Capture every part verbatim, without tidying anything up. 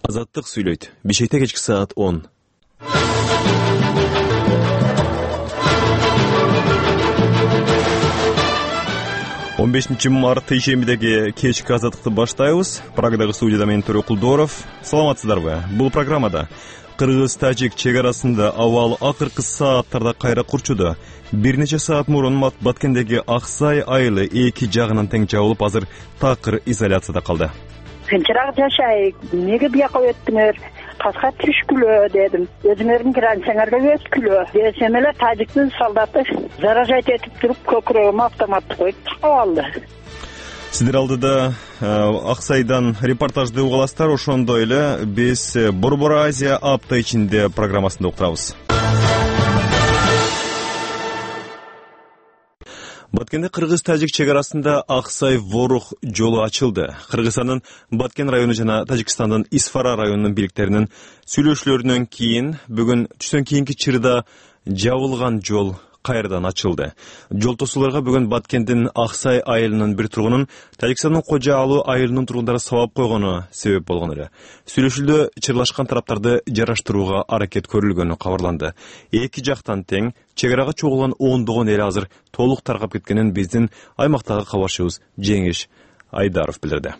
Азаттык сүйлөйт. Бишкекте кечки саат он. он бешинчи март ишембидеги кечки азаттыкты баштайбыз. Прагадагы студияда мен Төрө Кулдоров. Саламатсыздарбы? Бул программада Кыргыз-Тажик чек арасында абал акыркы сааттарда кайра курчуду. Бир нече саат мурун Баткендеги Аксай айылы эки жагынан тең жабылып, азыр такыр изоляцияда калды. Тынчыраак жашайык, эмнеге бияка өттүңөр? Таска түшкүлө дедим. Өзүңөрдүн границаңарга өткүлө десем эле тажиктин солдаты заражать этип туруп көкүрөгүмө автоматты коюп тагып алды. Сиздер алдыда Аксайдан репортажды угаласыздар, ошондой эле биз Борбор Азия апта ичинде программасында уктурабыз. Баткенде Кыргыз-Тажик чек арасында Аксай-Ворух жолу ачылды. Кыргызстандын Баткен району жана Тажикстандын Исфара районунун бийликтеринин сүйлөшүүлөрүнөн кийин бүгүн түштөн кийинки чырда жабылган жол кайрадан ачылды. Жол тосууларга бүгүн Баткендин Аксай айылынын бир тургунун Тажикстандын Кожа Алуу айылынын тургундары сабап койгону себеп болгон эле. Сүйлөшүүдө чырлашкан тараптарды жараштырууга аракет көрүлгөнү кабарланды. Эки жактан тең чек арага чогулган ондогон эл азыр толук таркап кеткенин биздин аймактагы кабарчыбыз Жеңиш Айдаров билдирди.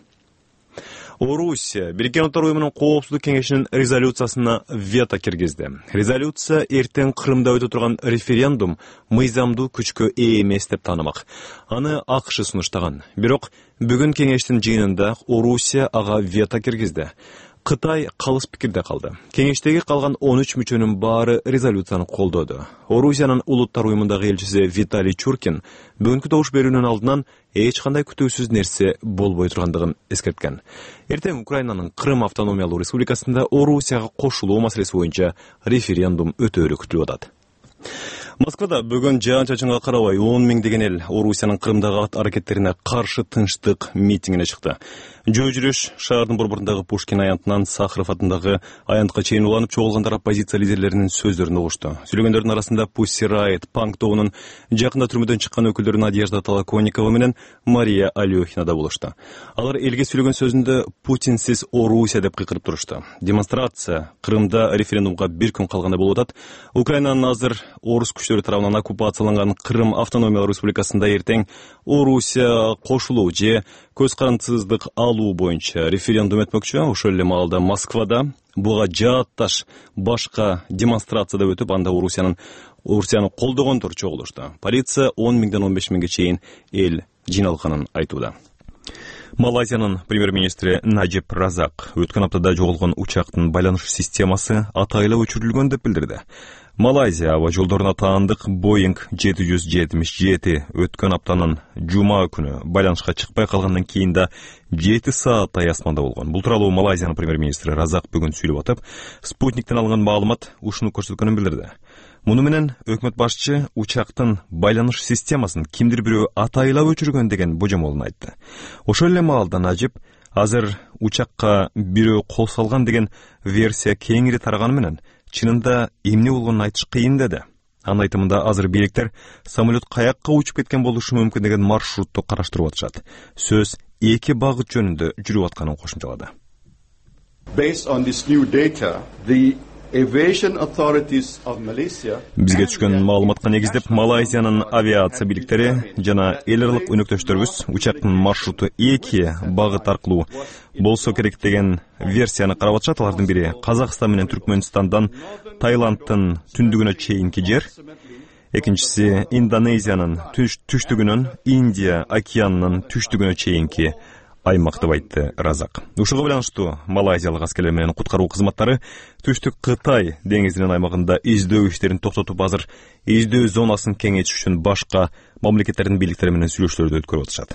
Орусия Бириккен Улуттар уюмунун коопсуздук кеңешинин резолюциясына вето киргизди. Резолюция эртең Кырымда өтө турган референдум мыйзамдуу күчкө ээ эмес деп таанымак. Аны АКШ сунуштаган. Бирок бүгүн кеңештин жыйынында Орусия ага вето киргизди. Кытай калыс пикирде калды. Кеңештеги калган он үч мүчөнүн баары резолюцияны колдоду. Орусиянын Улуттар уюмундагы элчиси Виталий Чуркин бүгүнкү добуш берүүнүн алдынан эч кандай күтүүсүз нерсе болбой тургандыгын эскерткен. Эртең Украинанын Крым автономиялуу республикасында Орусияга кошулуу маселеси боюнча референдум өтөөрү күтүлүп атат. Москвада бүгүн жаан-чачынга карабай он миңдеген эл Орусиянын Крымдагы аракеттерине каршы тынчтык митингине чыкты. Жөө жүрүш шаардын борборундагы Пушкин аянтынан Сахаров атындагы аянтка чейин уланып чогулгандар оппозиция лидерлеринин сөздөрүн угушту. Сүйлөгөндөрдүн арасында Pussy Riot панк тобунун жакында түрмөдөн чыккан өкүлдөрү Надежда Толоконникова менен Мария Алёхина да болушту. Алар элге сүйлөгөн сөзүндө Путинсиз Орусия деп кыйкырып турушту. Демонстрация Крымда референдумга бир күн калганда болуп атат. Украинанын азыр орус күчтөрү тарабынан оккупацияланган Крым автономиялык республикасында эртең Орусия кошулуу же көз карандысыздык алуу боюнча референдум өтмөкчү. Ошол эле маалда Москвада буга жаатташ башка демонстрация да өтүп, анда Орусиянын Орусияны колдогондор чогулушту. Полиция он миңден он беш миңге чейин эл жыйналганын айтууда. Малайзиянын премьер-министри Наджиб Разак өткөн аптада жоголгон учактын байланыш системасы атайла өчүрүлгөн деп билдирди. Малайзия аба жолдоруна таандык Boeing жети жүз жетимиш жети өткөн аптанын жума күнү байланышка чыкпай калгандан кийин да жети сааттай асманда болгон. Бул тууралуу Малайзиянын премьер-министри Разак бүгүн сүйлөп атып, Спутниктен алынган маалымат ушуну көрсөткөнүн билдирди. Муну менен өкмөт башчы учактын байланыш системасын кимдир бирөө атайлап өчүргөн деген божомолун айтты. Ошол эле маалда Наджиб азыр учакка бирөө кол салган деген версия кеңири тараганы менен чынында эмне болгонун айтыш кыйын деди. Анын айтымында азыр бийликтер самолет каякка учуп кеткен болушу мүмкүн деген маршрутту караштырып атышат. Сөз эки багыт жөнүндө жүрүп атканын кошумчалады. Based on this new data, the aviation authorities of Malaysia Бизге түшкөн маалыматка негиздеп Малайзиянын авиация бийликтери жана эл аралык өнөктөштөрүбүз учактын маршруту эки багыт аркылуу болсо керек деген версияны карап атышат. Алардын бири Казакстан менен Түркмөнстандан Таиландтын түндүгүнө чейинки жер, экинчиси Индонезиянын түштүгүнөн Индия океанынын түштүгүнө чейинки аймак деп айтты Разак. Ушуга байланыштуу малайзиялык аскерлер менен куткаруу кызматтары түштүк Кытай деңизинин аймагында издөө иштерин токтотуп, азыр издөө зонасын кеңейтиш үчүн башка мамлекеттердин бийликтери менен сүйлөшүүлөрдү өткөрүп атышат.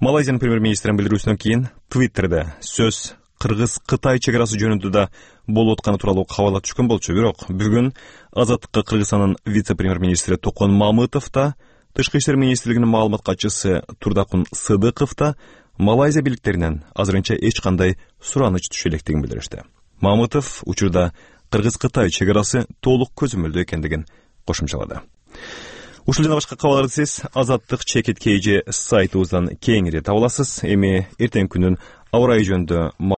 Малайзиянын премьер-министринин билдирүүсүнөн кийин Твиттерде сөз Кыргыз-Кытай чек арасы жөнүндө да болуп атканы тууралуу кабарлар түшкөн болчу. Бирок бүгүн Азаттыкка Кыргызстандын вице-премьер-министри Токон Мамытов да, Тышкы иштер министрлигинин маалымат катчысы Турдакун Сыдыков да Малайзия бийликтеринен азырынча эч кандай сураныч түшө электигин билдиришти. Мамытов учурда Кыргыз-Кытай чек арасы толук көзөмөлдүү экендигин кошумчалады. Ушул жана башка кабарларды сиз Азаттык чекит кей же сайтыбыздан кеңири таба аласыз. Эми эртең күнүн аба ырайы жөнүндө